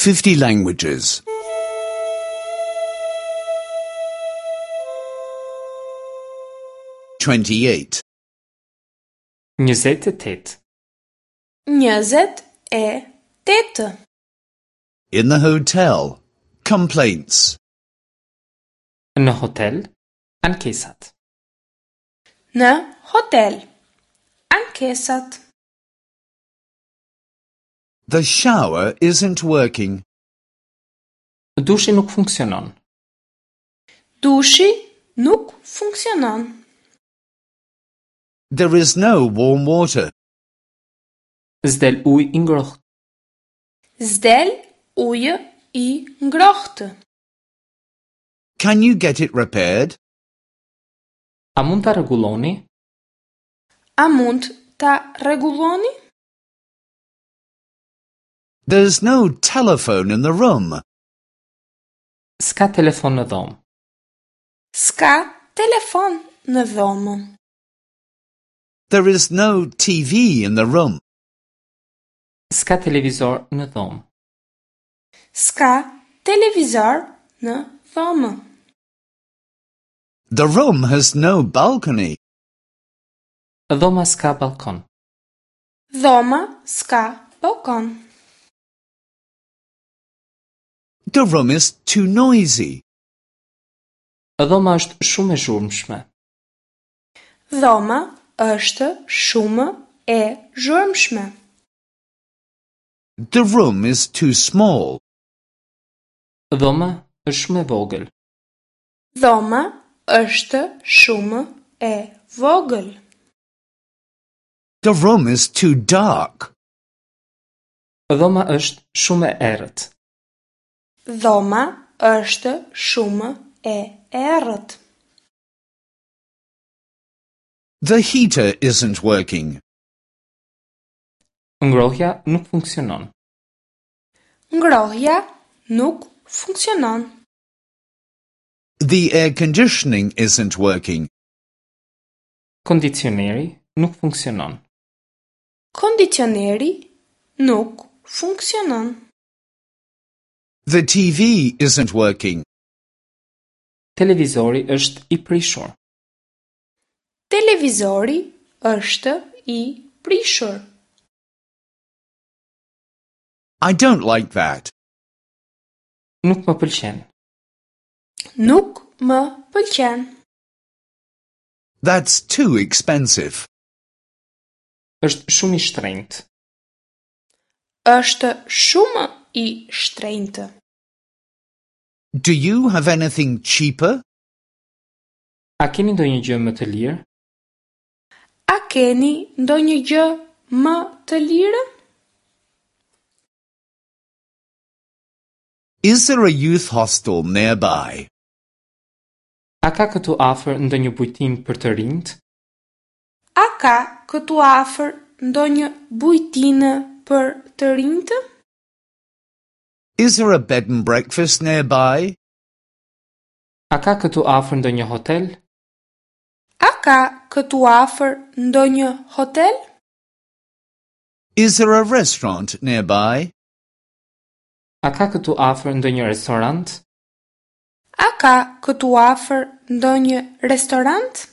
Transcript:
50 languages. 28. 28. 28. In the hotel. Complaints. Në hotel, ankesat. Në hotel. Ankesat. The shower isn't working. Dushi nuk funksionon. Dushi nuk funksionon. There is no warm water. S'del ujë i ngrohtë. S'del ujë i ngrohtë. Can you get it repaired? A mund ta rregulloni? A mund ta rregulloni? There's no telephone in the room. S'ka telefon në dhomë. S'ka telefon në dhomë. There is no TV in the room. S'ka televizor në dhomë. S'ka televizor në dhomë. The room has no balcony. Dhoma s'ka balkon. Dhoma s'ka balkon. The room is too noisy. Dhoma është shumë e zhurmshme. Dhoma është shumë e zhurmshme. The room is too small. Dhoma është shumë e vogël. Dhoma është shumë e vogël. The room is too dark. Dhoma është shumë e errët. Dhoma është shumë e errët. The heater isn't working. Ngrohja nuk funksionon. Ngrohja nuk funksionon. The air conditioning isn't working. Kondicioneri nuk funksionon. Kondicioneri nuk funksionon. The TV isn't working. Televizori është i prishur. Televizori është i prishur. I don't like that. Nuk më pëlqen. Nuk më pëlqen. That's too expensive. Është shumë i shtrenjtë. Është shumë i shtrenjtë. Do you have anything cheaper? A keni ndonjë gjë më të lirë? A keni ndonjë gjë më të lirë? Is there a youth hostel nearby? A ka këtu afër ndonjë bujtinë për të rinjt? A ka këtu afër ndonjë bujtinë për të rinjtë? Is there a bed and breakfast nearby? A ka këtu afër ndonjë hotel? A ka këtu afër ndonjë hotel? Is there a restaurant nearby? A ka këtu afër ndonjë restorant? A ka këtu afër ndonjë restorant?